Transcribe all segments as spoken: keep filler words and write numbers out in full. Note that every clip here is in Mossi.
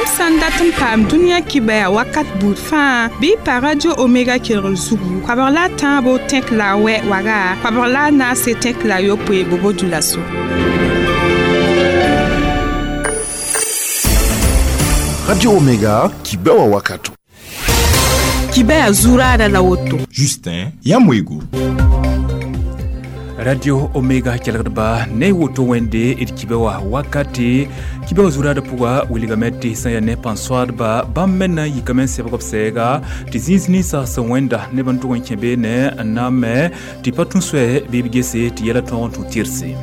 Yãmb sã n dat n paam dũniyã kibaya wakat buud fãa bɩ y pa Radio Omega kelgr zugu koabg la a tãabo tẽk la a wɛ waga koabg la a naase tẽk la a yopoe bobo dulaso. Radio Omega kibewa wakato. Kibaya zurada la woto. Justin Yamwego. Radio Omega kelgdba ne woto wende d kibewa wakati kibewa zurada pʋga wilgame tɩ sẽn yaa ne pãn-soaadba bãmb me na n yikame n sebg b sɛɛga tɩ zĩis ninsã sẽn wẽnda neb n tʋg n kẽ beene n na n me tɩ pa tũ soɛ bɩ b gese tɩ yɛla tõog n tũ tɩrse.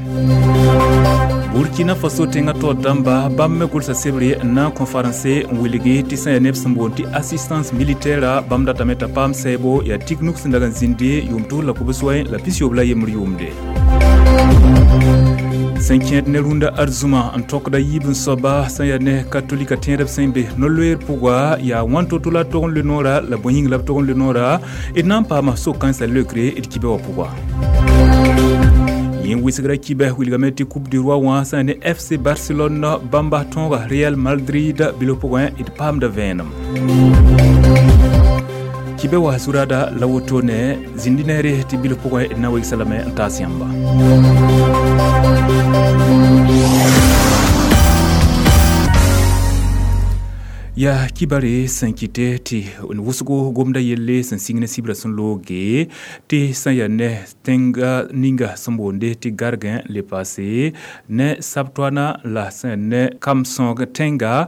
Burkina Faso tẽngã taoor dãmba bãmb me gʋlsa sebre n na n kõ faransɛ n wilgi tɩ sẽn yaa neb sẽn boond tɩ assistance militaire bãmb datame t'a paam sɛɛbo yaa tig-nuk sẽn dag n zĩndi yʋʋm tus la kobs-wɛ la pis-yoob la yembr yʋʋmde. Sẽn kẽed ne rũndã arzũma n tokda yiib n soaba sẽn yaa ne katolika tẽedb sẽn be no-loeer pʋga yaa wãn to-to la tog n loe noora la bõe yĩng la b tog n loe noora d na n paama so-kãensã leokre d kibã wã pʋga. Yẽ wɩsgra kibɛ wilgame tɩ Coupe du Roi wã sẽn ne F C Barcelone bãmba tõoga Real Madrid bilf pʋgẽ d paamda vẽenem. Kibɛ wa zurada la woto ne zĩndi neere tɩ bilf pʋgẽ d na wegsa lame n taas yãmba. Ya kibare sẽn kɩte tɩ wʋsgo gomda yelle sẽn sɩng ne sibra sẽn looge tɩ sẽn yaa ne tẽnga ninga sẽn boonde tɩ gargẽ le paase ne sabtoana la sẽn ne kam-sõog tẽnga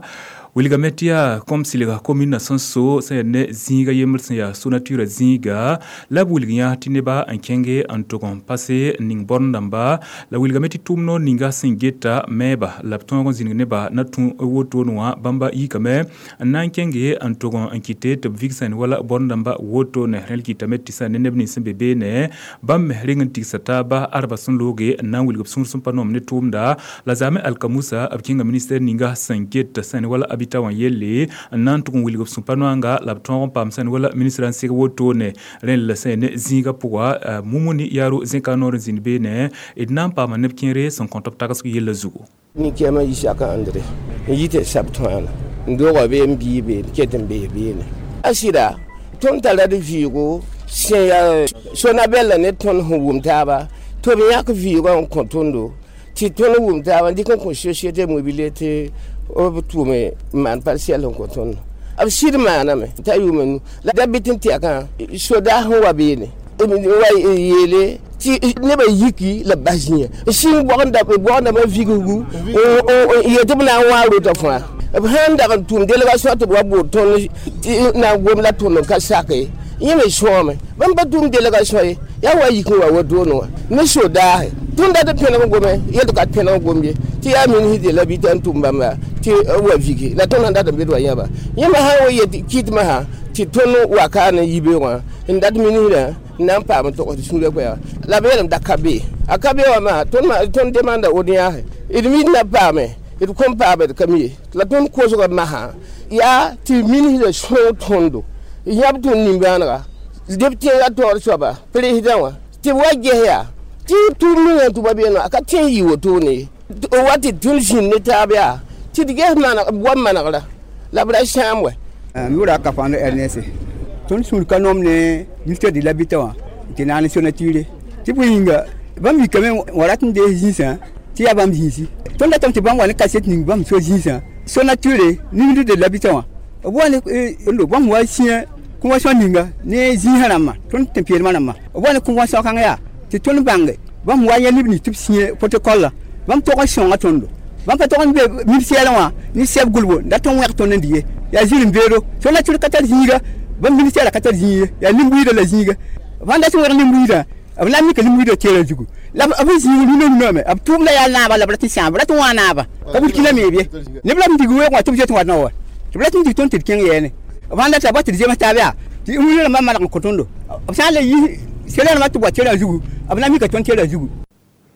wilgame tɩ yaa kom silga komina sẽn so sẽn yaa ne zĩiga yembr sẽn yaa sonatura zĩiga la b wilg yã tɩ neba n kẽnge n tʋg n pase n ning bõr dãmba la wilgame tɩ tʋʋm noor ninga sẽn geta mɛɛba la b tõog n zĩnig nebã na tũ wotone wã bãmba yikame n na n kẽnge n tʋg n kɩte tɩ b vig sẽn wala bõr dãmba wotone rẽl kɩtame tɩ sẽn ne neb nins sẽn be beene bãmb me reng n tigsa taaba arba sẽn looge n na n wilg b sũur sẽn pa noom ne tʋʋmda la zaame alkamusa b kẽnga ministɛr ninga sẽn get sẽn wala bita wã yelle n na n tʋg n wilg b sũ-pa-noanga la b tõog n paam sẽn wala ministrã n seg wotone rẽnd la sẽn ne zĩigã pʋga mumuni yaaro zẽka noor n zĩnd beene d na n paama neb kẽere sẽn kõt b tagsg yella zugu. Nin-kɛɛmã Isaka Andre n yɩ tɩ sab tõana n doogã bee n bii beene ket n bee beene a sɩda tõnd tara d vɩɩgo sẽn yaa Sonabɛl la ne tõnd sẽn wʋm taaba tɩ b yãk vɩɩgã n kõ tõndo tɩ tõnd wʋm taaba n dɩk n kõ société mobilier tɩ b tʋʋme n maan parcelle n kõ tõndo b sɩd maaname t'a yʋʋma nu la da bɩ tɩ n tɛkã sodaas sẽn wa beene wa yeele tɩ nebã yiki la b bas zĩiga n sĩng bɔgendãmbã vigsgu n yet tɩ b na n wã rota fãa b sãn dag n tʋʋm délégation tɩ b wa bood tõnd tɩ na n gom la tõnd n ka sake yẽ me sõome bãmb pa tʋʋm délégation ye yaa wa yik n wa wotone wã ne sodaase tõnd dat n pẽneg gome yel ka pẽneg gom ye tɩ yaa ministre de l'habitat n tʋm bãmba tɩ wa vigi la tõnd sãn dat n bed wa yãba yẽmba sã wa yet kɩtmã sã tɩ tõnd wa ka ne yibeoogã n dat ministrã n na n paam n togs tɩ sũurã koɛɛga la b yeelame da ka be a ka be wã maa tõnd demanda audience d mi na paame d kõn paame d ka mi ye la tõnd kosgã masã yaa tɩ ministrã sõog tõndo yãb tõnd nimbãanega deb tẽngã taoor soaba président wã tɩ b wa ges yaa tɩ tʋʋm ninga n tʋma beene a ka tẽ n yɩ wotone ye wa tɩ tõnd zĩnd ne taab yaa tɩ d ges wa manegra la b ra sãam wɛ. M yʋʋra Kafando Ernest tõnd sũur ka noom ne ministère de l'habitat wã tɩ naane Sonature tɩ bõe yĩnga bãmb yikame wã rat n dees zĩisã tɩ yaa bãmb zĩisi tõnd datame tɩ bãmb wa ne kaset ning bãmb so zĩisã Sonature ministre de l'habitat wã b wa ne bãmb wa sĩa convention ninga ne zĩisã rãmbã tõnd tẽn-peelmã rãmbã b wa ne convention kãng yaa tɩ tõnd bãnge bãmb wa yã neb nins tɩ b sĩa protocole la bãmb tog n sõnga tõndo bãmb pa tog n be ministère wã ne sɛb gʋlbo dat n wẽg tõnd n dɩ ye yaa zĩr-n-beedo Sonature ka tar zĩiga bãmb ministère ka tar zĩiga yaa nin-buiidã la zĩiga bãmb dat n wẽg nin-buiidã b na n mika nin-buiidã teerã zugu la b zĩig rũnã rũnã b tʋʋmda yaa naaba la b rat n sãam b rat n wã naaba ka Burkina me bɩ neb la b dig weoog wã tɩ b zoet n wat na wa tɩ b rat n dig tõnd tɩ d kẽng yɛɛne b sãn data ba tɩ d zems taab yaa tɩ rũnã rãmbã maneg n kõ tõndo b sã n la yi sela rãmbã tɩ b wa teerã zugu b na mika tõnd teerã zugu.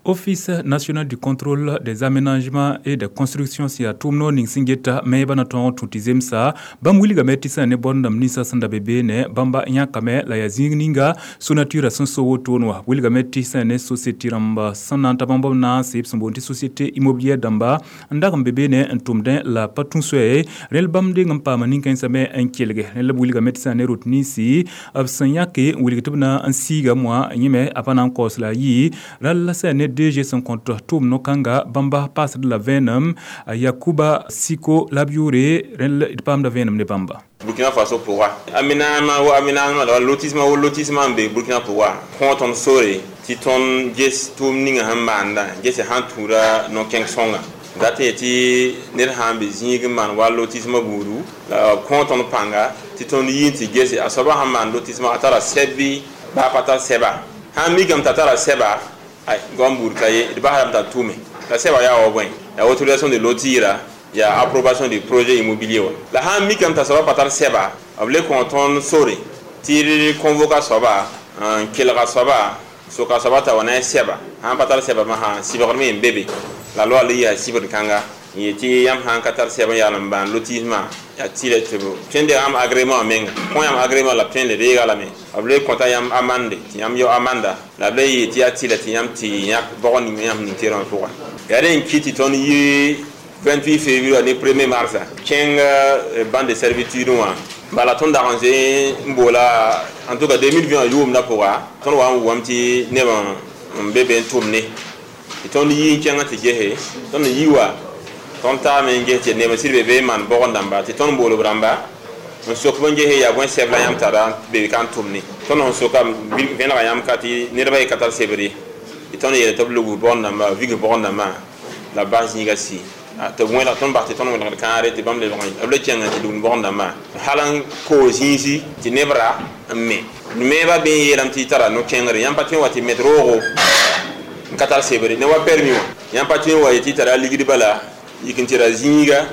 Office national du contrôle des aménagements et des constructions sẽn yaa tʋʋm noor ning sẽn geta meeba na tõog n tũ tɩ zemsa. Bãmb wilgame tɩ sã ne bõn-dãmb ninsã sẽn da be beene, bãmba yãkame la yaa zĩig ninga Sonatura sẽn so wotone wã. Wilgame tɩ sã ne société rãmba sẽn na n ta bãmb b naase, b sẽn boond tɩ société immobilière dãmba n dag n be beene n tʋmdẽ la pa tũ soɛ rẽl. Bãmb deng n paama nin-kãensã me n kelge rẽl. B wilgame tɩ sã ne rot ninsi b sẽn yãke n wilg tɩ b na n siiga moã yẽme a pa na n kaoos la a yɩ rall la sã ne D G sẽn kõt tʋʋm no-kãnga bãmba paasd la vẽenem Yakuba Siko la b yʋʋre rẽnd d paamda vẽenem ne bãmba. Burkina Faso pʋga, aménagement wo aménagement la lotissement wo lotissement n be Burkina pʋga, kõ tõnd sore tɩ tõnd ges tʋʋm ninga sẽn maanda gese sãn tũuda no-kẽng sõnga dat yetɩ ned sã n be zĩig n maan wa lotissement buudu la b kõ tõnd pãnga tɩ tõnd yi n tɩ gese a soaba sãn maan lotissement, a tara sɛb bɩ baa pa tar sɛba. Sãn mikame t'a tara sɛba, ay goam buud ka ye d basdame t'a tʋme la sɛba yaa wa bõe, ya autorisation de lotir, ya approbation du projet immobilier wa. La sãn mikame t'a soaba pa tar sɛba, b le kõ tõnd sore tɩ d convoka soaba n kelga soaba, soka soaba t'a wa na sɛba. Sãn pa tar sɛba masã, sɩbgr me n be be la loa le yaa sɩbgr kãnga n yetɩ yãmb sãn ka tar sɛb n yaal n bãan lotissement, yaa tɩlɛ tɩ b tõe n deega yãmb agrément menga, kõ yãmb agrément la b tõe n le reega lame. B le kõta yãmb amende tɩ yãmb yao amanda la b le yee tɩ yaa tɩlɛ tɩ yãmb tɩ yãk bɔg ning yãmb ning terã pʋga. Yaa rẽ n kɩt tɩ tõnd yi vingt-huit février ne premier mars kẽng bande de servitude wã. Bala tõnd dag n zoe n boola, en tout cas deux mille vingt yʋʋmdã pʋga, tõnd wa n wʋgame tɩ neb n be be n tʋm ne tɩ tõnd yi n kẽngã tɩ gese. Tõnd n yi wa tõnd taame n ges tɩ neb n sɩd be be n maan bɔgẽ dãmba tɩ tõnd bool b rãmba n sok b n gese yaa bõe sɛb la yãmb tara be ka n tʋm ne. Tõnd sẽn soka vẽnega yãmb ka tɩ nedbã ye ka tar sebr ye tɩ tõnd yeele tɩ b lug bɔgẽ dãmba, vig bɔgẽ dãmbã la bas zĩiga si tɩ b wẽlg tõnd bas tɩ tõnd wẽlgd kãare tɩ bãmb lebg b le kẽng tɩ lugd bɔgẽ dãmbã hal n koos zĩisi tɩ neb ra n me meebã bɩ n yeelame tɩ tara no-kẽngre. Yãmb pa tõe n wa tɩ met roogo n ka tar sebre ne wa permis wã. Yãmb pa tõe n wa yetɩ tara ligd bala yik n tɩ ra zĩiga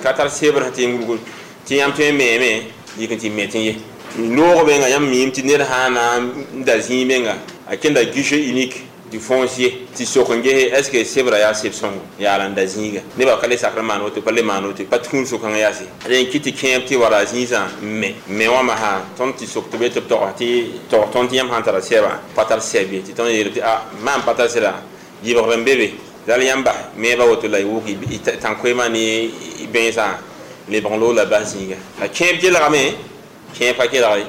ka tar sebr sẽn tɩ n wulg tɩ yãmb tõe n meeme yik n tɩ met n ye noog menga. Yãmb miime tɩ ned sã na n da zĩig menga, a kẽnda guichet unique du foncier tɩ sok n gese est ce que sebra yaa seb sõngo yaala n da zĩiga. Nebã ka le sakr n maan woto, pa le maan woto, pa tũud sʋkãng yaase. Rẽ n kɩt tɩ kẽeb tɩ wara zĩisã n me me wã masã tõnd tɩ sok tɩ be tɩ b tog tɩ tog tõnd tɩ yãmb sãn tara sɛba pa tar sɛb ye tɩ tõnd yeel tɩ a maan pa tar sɩda yɩbgr n be be zal yãmb bas meebã woto la y wʋk tãn-koeemã ne bẽnsã lebg n loog la bas zĩiga la kẽeb kelgame, kẽeb pa kelg ye.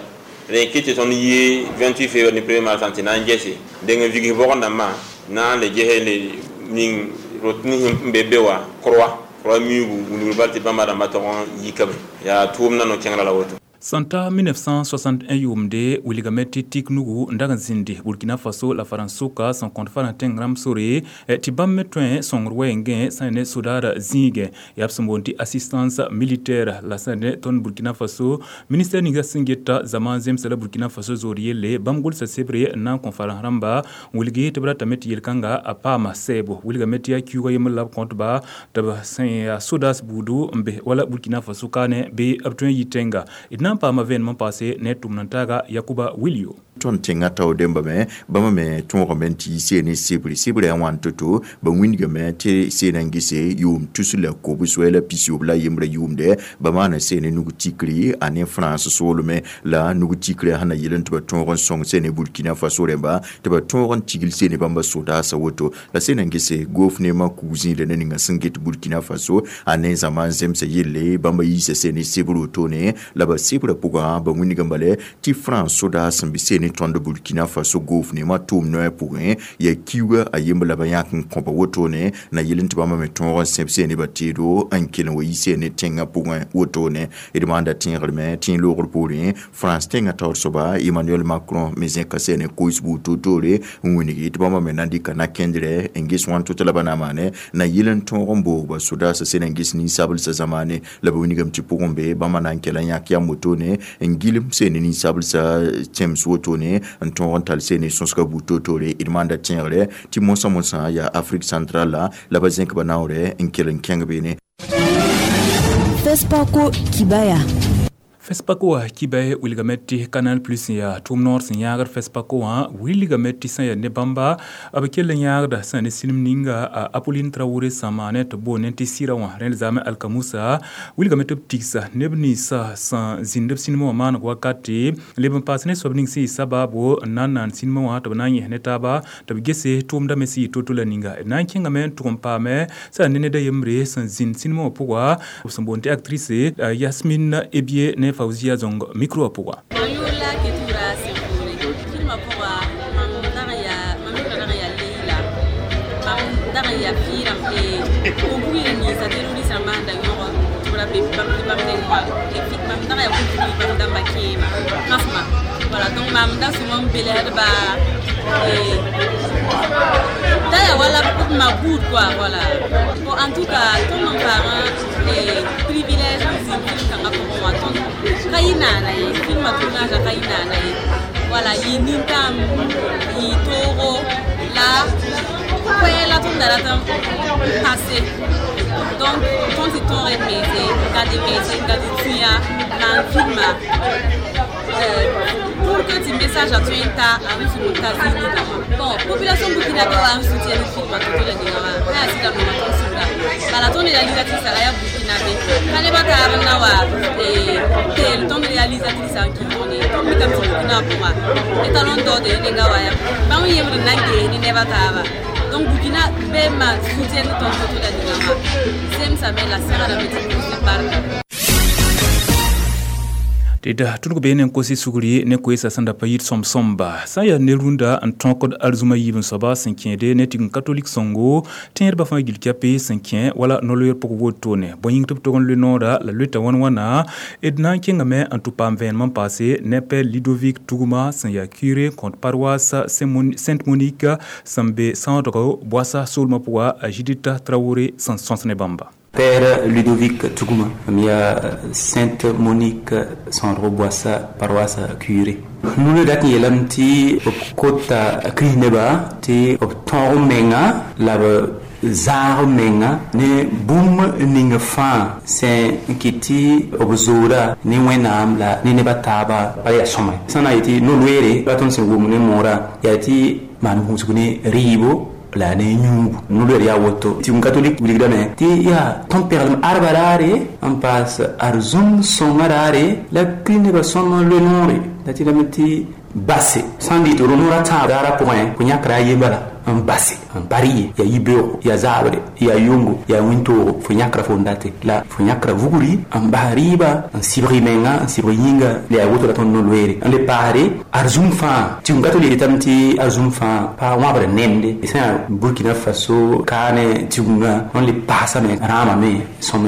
Rẽ kɩt tɩ tõnd yi vingt-huit février ne premier mars tɩ na n gese deng n vigs bɔgẽ dãmbã na n le gese le ning rot nins n be be wa croix croix miuugu wilgr bal tɩ bãmba rãmbã tog n yikame yaa tʋʋmdã no-kẽngrã la woto. Sẽn ta mille neuf cent soixante et un yʋʋmde wilgame tɩ tik nugu n dag n zĩndi Burkina Faso la Farãns-sʋka sẽn kõt farã tẽng rãmb sore tɩ bãmb me tõe sõngr wɛɛngẽ sã ne sodaara zĩigẽ yaa b sẽn boond tɩ assistance militaire. La sã ne tõnd Burkina Faso ministère ninga sẽn geta zama zemsa la Burkina Faso zoor yelle, bãmb gʋlsa sebre n na n kõ farãs rãmba n wilgi tɩ b ratame tɩ yel-kãnga a paama sɛɛbo. Wilgame tɩ yaa kiuugã yembr la b kõtba tɩ b sẽn yaa sodaas buudu n be wala Burkina Faso kaane bɩ b tõe n yi tẽnga. D na n paama vẽenem n paase ne tʋmd n taaga Yakuba Wilio. Tõnd tẽngã tao dẽmba me bãmba me tõogame n tɩ yi see ne sebre sebrã yaa wãn to-to. Ba wĩndgame tɩ seena n gese yʋʋm tus la kobs-wɛ la pisob la yembrã yʋʋmdɛ ba maana see ne nug tikri a ne France soolme la nug tikrã sẽn na yel n tɩ ba tõog n sõng see ne Burkina Faso rẽmba tɩ ba tõog n tigl see ne bãmba sodaasã woto. La seena n gese gofnema kug zĩigrã ne ninga sẽn get Burkina Faso a ne zãma n zemsa yelle bãmba yiisa see ne sebr wotone. La ba sebrã pʋgã ba wĩndgame bale tɩ France sodaas sẽn be see ne tõnd Burkina Faso gofnema tʋʋm noɛ pʋgẽ yaa kiuga a yembr la ba yãk n kõba wotone na yel n tɩ bãmba me tõog n sẽb see ne ba teedo n kell n wa yi see ne tẽngã pʋgẽ wotone. D maanda tẽegrme tẽeg loogr poorẽ France tẽngã taoor soaba Emmanuel Macron me zẽka see ne kois buud toor-toore n wilgi tɩ bãmba me na n dɩka na-kẽndrɛ n ges wãn to-to la ba na n maane na yel n tõog n boog ba sodaasã sẽn n ges ninsablsã zamaane. La ba wilgame tɩ pʋgẽ be bãmba na n kɛla yãk yam wotone n gilem see ne ninsablsã tẽms wotone n tõog n tall see ne sõsga buud toor-toore. D maanda tẽegre tɩ moasã moasã yaa Afrique centrale la la ba zẽk ba naoorɛ n kell n kẽng beene. FESPACO Kibaya. FESPACO wã kiba wilgame tɩ Canal Plus yaa tʋʋm noor sẽn yãagd FESPACO wã wilgame tɩ sẽn yaa ne bãmba b kell n yãagda sẽn ne sĩnem ninga a Apolline Traoré sã maane tɩ boone tɩ sɩra wã rẽnd zaame alkamusa wilgame tɩ b tigsa neb ninsã sẽn zĩnd b sĩnem wã maaneg wakate leb n paas ne soab ning sẽn yɩ sabaabo n na n naan sĩnemã wã tɩ b na n yẽs ne taaba tɩ b gese tʋʋmda me sẽn yɩ to-to la ninga d na n kẽngame n tʋg n paame sã ne ned a yembre sẽn zĩnd sĩnemã wã pʋga b sẽn boond tɩ actrice Yasmine Ebie ne Fauzia Zong micro wã pʋga. Mam yʋʋr la Ketura Sẽnpoore filmã pʋga mam dag n yaa mam yʋʋrã dag n yaa Leila mam dag n yaa fɩɩrame kʋm-pugr ninsa terroriste rãmbã sẽn da yõg tɩ b ra be bãmb bãmb neng wã mam dag n yaa kʋm-pugr bãmb dãmba kẽema kãsma voilà donc mam da sõm n belsdba da yaa wala ma buud quoi voilà bon en tout cas tõnd n paamã privilège n zĩnd film kãngã pʋgẽ wã tõnd ka yɩ naana ye filmã tournage ka yɩ naana ye voilà yɩ nintãm yɩ toogo la koɛɛ la tõnd da rat n pase donc tõnd tɩ tõog d mense n gad mense n gad tũya maan filma pour que tɩ message a tõe n ta a n zug n ta zĩig ninga wã bon population burkinabé wa n soutien ne filmã to-to la ninga wã ka yaa sɩda nonga tõnd sũura bala tõnd réalisatrice a yaa burkinabé ka nebã taab n na wa teel tõnd réalisatrice n kɩɩg ne tõnd mikame tɩ burkina pʋga étalon d'or de nenga wa ya bãmb yembr n na n gee ne neba taaba donc burkina be ma soutien ne tõnd to-to la ninga wã zemsame la segrame tɩ pʋʋs barka. Tɩ da tʋlg bee ne n kosi sugri ne koeesa sẽn da pa yit sõm-sõmba sã n yaa ne-rũndã n tõkd arzũma yiib n soaba sẽn kẽede ne tigim katolik sõngo tẽedbã fãa gil kɛpe sẽn kẽ wala no-loeer pʋg wotone bõe yĩng tɩ b tog n loe noora la loeta wãn wãna d na n kẽngame n tʋ paam vẽenem n paase ne père Ludovic Tuguma sẽn yaa curé kõt paroisse Sainte Monique sẽn be sãoodgo Boassa soolmã pʋga a Judith Traoré sẽn sõs ne bãmba. Père Ludovic Tuguma, yaa Sainte Monique Sandro Boassa, paroisse curé. Nuna dat yeelame tɩ b kota kirist-nebã tɩ b tõog menga la b zaag menga ne bũmb ning fãa sẽn kɩt tɩ b zooda ne Wẽnnaam la ne nebã taaba pa yaa sõma sã na n yetɩ no-loeere ra tõnd sẽn wʋm ne moorã yaa tɩ maan gũusg ne rɩɩbo la ne yũubu no-loeer yaa woto tɩ katolik wilgdame tɩ yaa tõnd pɛglem arba raare n paas arzũm sõngã raare la kirist-nebã sõm loe noore la tɩ lame tɩ base sã n dɩ tɩ ro-noorã tãab daara pʋgẽ fo yãkra a ye bala n base n pa rɩ ye yaa yibeoogo yaa zaabre yaa yongo yaa wĩntoogo fo yãkra fo n date la fo yãkra vugri n bas rɩɩba n sɩbg y menga n sɩbg yĩnga la yaa woto la tõnd no-loeere n le paasre arzũm fãa tɩ ka tɩ yetame tɩ arzũm fãa pa wãbr nemde sã yaa Burkina Faso kaane tigungã tõnd le paasame rãamame sõm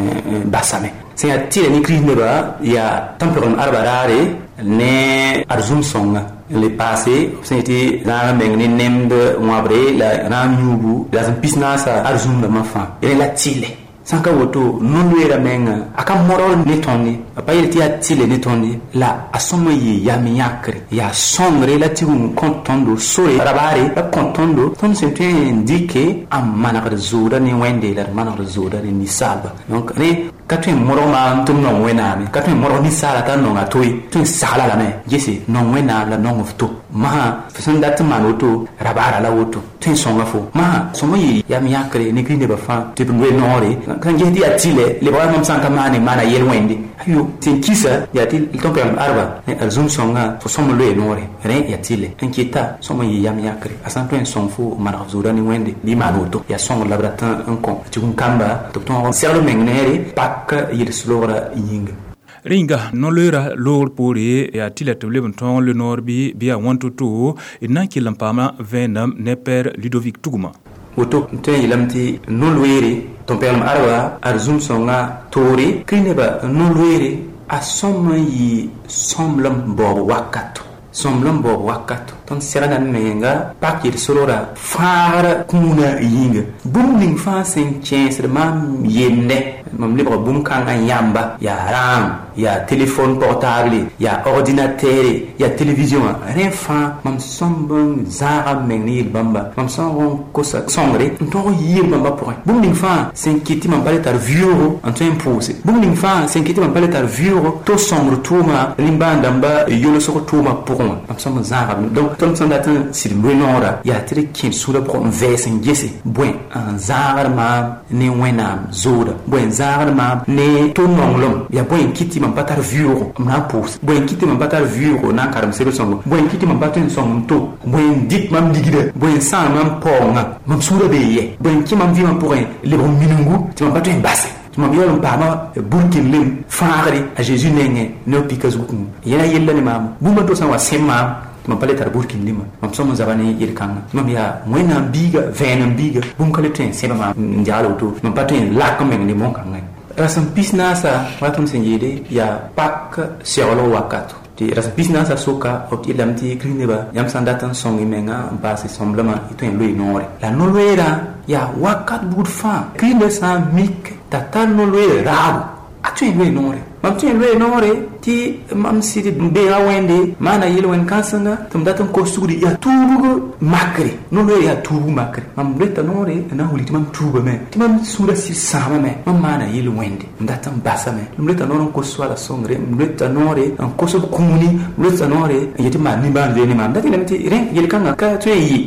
basame sẽn yaa tɩla ne kirist-nebã yaa tõnd pɛglem arba raare ne arzũm sõnga le paase sẽn yetɩ zãag meng ne nemd wãbre la rãam yũubu la sẽn pis naasa arzũm rãmbã fãa rẽ la tɩlɛ sã n ka woto no-loeera menga a ka modg ne tõnd ye a pa yel tɩ yaa tɩlɛ ne tõnd ye la a sõm n yɩ yam yãkre yaa sõngre la tigum kõt tõndo sore rabaare la kõt tõndo tõnd sẽn tõe n dɩke n manegd zooda ne Wẽnde la d manegd zooda ne ninsaalba donc rẽ ka tõe n modg maam tɩ b nong Wẽnnaame ka tõe n modg ninsaala t'a nonga to ye tõe n sagla lame gese nong Wẽnnaam la nong f to masã f sẽn dat n maan woto rabaara la woto tõe n sõnga fo masã sõm n yɩ yam yãkre ne kirist-nebã fãa tɩ b loe noore sãn ges tɩ yaa tɩlɛ lebga mam sã n ka maane maana yel-wẽnde ayo tɩ n kisa yaa tɩ tõnd pɛglem arba arzũm sõngã fo sõm n loe noore rẽ yaa tɩlɛ n keta sõm n yɩ yam yãkre a sã n tõe n sõng fo maneg f zooda ne Wẽnde bɩ maan woto yaa sõngr la b rat n kõ tɩ kamba tɩ b tõog segl meng neere pak yels-loogrã yĩnga. Rẽnga no-loeera loogr poore yaa tɩ la tɩ b leb n tõog n loe noor bɩ bɩ yaa wãn to-to d na n kell n paama vẽenem ne père Ludovic Tuguma. Woto n tõe n yeelame tɩ no-loeere tõnd pɛglem arba arzũm sõngã toore kirist-nebã no-loeere a sõm n yɩ sõmblem baoob wakato Sõmblem baoob wakato tõnd segda d menga pak yel-sorgra fãagra kũuna yĩnga bũmb ning fãa sẽn kẽesd maam yemde mam lebga bũmb kãngã yãmba yaa rãam yaa telefon portable yaa ordinateur yaa television wã rẽ fãa mam sõmb n zãaga m meng ne yel-bãmba mam sõng n kosa sõngre n tõg n yɩ yel-bãmbã pʋgẽ bũmb ning fãa sẽn kɩt tɩ mam pa le tar vɩʋʋgo n tõe n pʋʋse bũmb ning fãa sẽn kɩt tɩ mam pa le tar vɩʋʋgo to sõngr tʋʋma rĩm-bãan-dãmba yolsg tʋʋmã pʋgẽ wã mam sõm n zãaga donc tõnd sẽn dat n sɩd loe noora yaa tɩ d kẽ sũurã pʋgẽ n vɛɛs n gese bõe n zãagd maam ne wẽnnaam zooda bõe n zãagd maam ne to nonglem yaa bõe n kɩt tɩ mam pa tar vɩʋʋgo m na n pʋʋs bõe n kɩt tɩ mam pa tar vɩʋʋgo na n karem sebr sõngo bõe n kɩt tɩ mam pa tõe n sõng n to bõe n dɩt mam ligda bõe n sãam mam paoongã mam sũurã bee yɛ bõe n kẽ mam vɩɩmã pʋgẽ lebg n minungu tɩ mam pa tõe n base tɩ mam yaool n paama burkin-lem fãagre a Zeezi nengẽ ne b pika zugẽ yẽna yella ne maam bũmb to sã n wa sẽ maam tɩ mam pa le tar burkin-lemã mam sõm n zaba ne yel-kãngã tɩ mam yaa wẽnnaam biiga vẽenem biiga bũmb ka le tõe n sẽba maam n jagl woto mam pa tõe n lak n meng ne bõn-kãngã ye rasem pis naasa wa tõnd sẽn yeele yaa pak seglg wakato tɩ rasem pis naasa soka b yeelame tɩ kirist nebã yãmb sã n dat n sõng y menga n paase sõmblmã y tõe n loe noore la no-loeerã yaa wakat buud fãa kirist ned sã n mik t'a tar no-loeer raabo a tõe n loe noore mam tõe n loe noore tɩ mam sɩd n beega wẽnde maana yel-wẽn kãsenga tɩ m dat n kos sugri yaa tuubg makre no-loeer yaa tuubg makre mam loeta noore n na n wilg tɩ mam tuubame tɩ mam sũurã sɩd sãamame mam maana yel-wẽnde m dat n basame m loeta noor n kos soaala sõngre m loeta noore n kos b kũuni m loeta noore n yetɩ maan nimbãan zoe ne maam dat yeelame tɩ rẽ yel-kãngã ka tõe n yɩ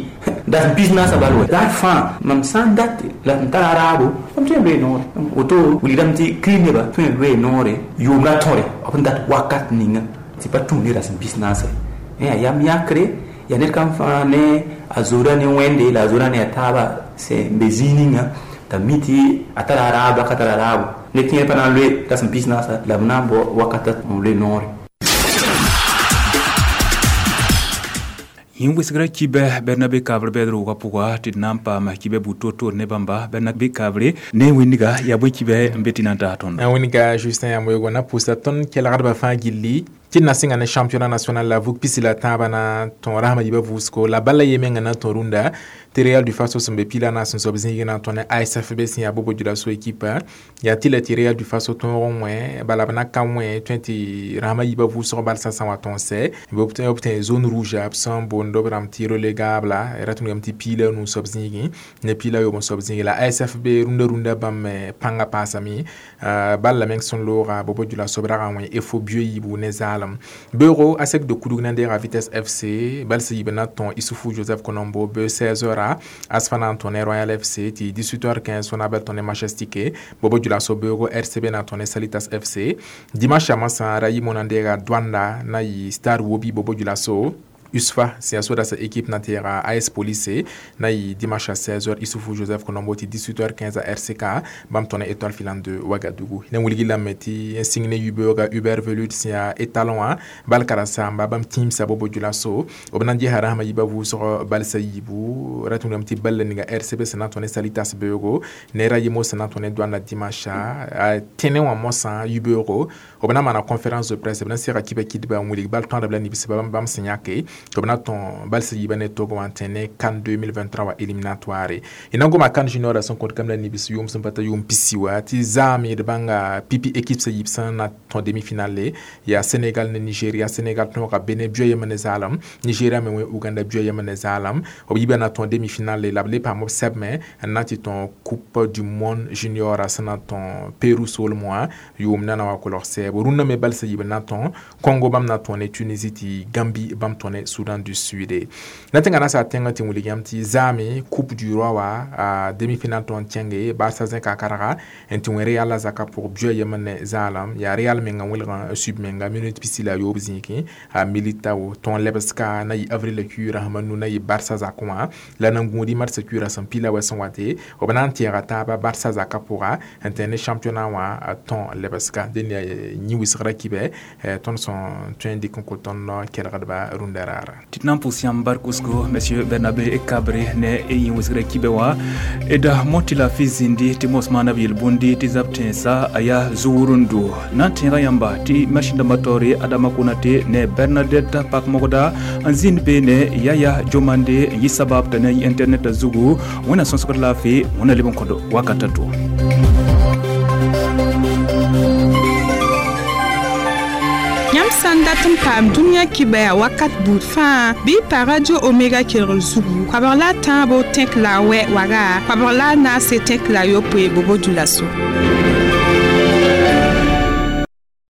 dat n pis naasã bal wa daar fãa mam sã n dat la m tara raabo mam tõe n loe noore woto wilgdame tɩ kirist nebã tõe n loe noore yʋʋmda tõre b n dat wakat ninga tɩ pa tũud ne rasem pis naasã yaa yam yãkre yaa ned kam fãa ne a zoora ne wẽnde la a zoora ne a taaba sẽn be zĩig ninga t'a mi tɩ a tara raabo ka tara raabo ned kẽer pa na n loe rasem pis naasã la b na n bao wakata n loe noore yĩng wɩsgrã kibɛ bɛrna be kaabr bɛɛd roogã pʋga tɩ d na n paam kibɛ buud toor-toor ne bãmba bɛrna be kaabre ne wĩndga yaa bõe kibɛ n be tɩ na n taas tõndo wĩndga Justin Yamoyego na pʋʋsa tõnd kelgdbã fãa gilli tɩ d na sɩnga ne championnat national la vug pisi la tãabã na tõo rasmã yiibã vʋʋsgo la bala ye menga na n tõ rũndã tɩ Real du Faso sẽn be pila naas n soab zĩig na n tõ ne A S F B sẽn yaa Bobo-Dioulasso ekipa yaa tɩ la tɩ Real du Faso tõog n wẽ bala b na ka wẽ tõe tɩ rasmã yiibã vʋʋsg balsã sã wa tõog sɛ b tẽ zone rouge b sẽn boond b rãmb tɩ relégable ra tũnugame tɩ piila nu soab zĩigẽ ne piila yoob n soab zĩigi la A S F B rũndã rũndã bãmb pãngã paasame bal la meng sẽn looga Bobo-Dioulasso b rag n wẽ efo bio yiibu ne zaalem beoogo a sek de kudug na n deega Vitesse F C bal sã yiib na tõo Isufu Joseph Konombo be seize heures Asfa na n tõ ne Royal F C tɩ dix-huit heures quinze Sonabel tõ ne Majestic Bobo-Dioulasso beoogo R C B na tõ ne Salitas F C dimanche a masã ra yimo na n deega Douanda na yɩ Star Wobi Bobo-Dioulasso U S F A sẽn yaa sodasa équipe na tɩɩga A S Police na yɩ dimanche à seize heures Isufu Joseph Konombo tɩ dix-huit heures quinze à R C K bãmb tõe ne Étoile filante de Ouagadougou ne wilgi lame tɩ n sĩng ne yibeooga Hubert Velud sẽn yaa étalon wã bal karen-saamba bãmb tĩimsa Bobo-Dioulasso b na n gesa rasmã yiibã vʋʋsg balsã yiibu ra tũnugame tɩ balla ninga R C B sẽn na n tõ ne Salitas beoogo ne ra yemo sẽn na n tõ ne Douane dimanche a tẽne wã mosã yibeoogo b na n maana conférence de presse b na n sega kibã kidba n wilg bal tõadb la nibsba bãmb sẽn yãke tɩ b na tõo balsã yiibã ne togo wã n tẽ ne CAN deux mille vingt-trois wa éliminatoire y na n goma CAN junior sẽn kõt kam la nibs yʋʋm sẽn pa ta yʋʋm pisi wa tɩ zaame d bãnga pipi équipe sã yiib sẽn na tõo demi-finale yaa Sénégal ne Nigeria Sénégal tõoga Benin bio yem ne zaalem Nigeria me wẽ Uganda bio yem ne zaalem b yiibã na tõo demi-finale la b le paam b sɛbme n na tɩ tõo coupe du monde junior sẽn na tõo Peru soolem wã yʋʋm na na wa kolg sɛɛbo rũndã me balsã yiib n na tõo Congo bãmb na tõo ne Tunisie tɩ Gambie bãmb tõo ne Soudan du Sud na tẽnga na sa tẽngã tɩ wilg yãmb tɩ zaame coupe du roi wa a demi-finale tõnd kẽnge Barça zẽka karga n tɩ wẽ Real la zaka pʋg bio yem ne zaalem yaa Real menga wẽlg sub menga minute pisi la yoob zĩigẽ a Militao tõog lebska na yɩ avril kuiirã sẽm nu na yɩ Barça zakẽ wã la nan gũudi marsã kuiirã sẽn pila wa sẽn wate b na n tẽega taaba Barça zakã pʋga n tẽ ne championnat wã tõog lebska dẽn yaa yĩ wɩsgrã kibɛ tõnd sẽn tõe n dɩk n kõ tõnd kelgdba rũndã. Dakar. Tɩ d na n pʋs yãmb bark wʋsgo, monsieur Bernabe Kabre, ne yẽ wʋsgrã kibe wã d mot tɩ laafɩ zĩndi tɩ mos maana b yel-bũndi tɩ zab tẽnsã a yaa zu-wʋrendo na n tẽega yãmba tɩ masĩn dãmbã taoore Adama Konate ne Bernadette Pakmogda n zĩnd beene Yaya Jomande n yɩ sabab t'a na yɩ internet zugu. Wẽnna sõsgd laafɩ, wẽnna leb n kõd wakata to. Yãmb sã n dat n paam dũniyã kibaya wakat buud fãa, bɩ y pa Radio Omega kelgr zugu koabg la a tãabo tẽk la a wɛ waga koabg la a naase tẽk la a yopoe bobo dulaso.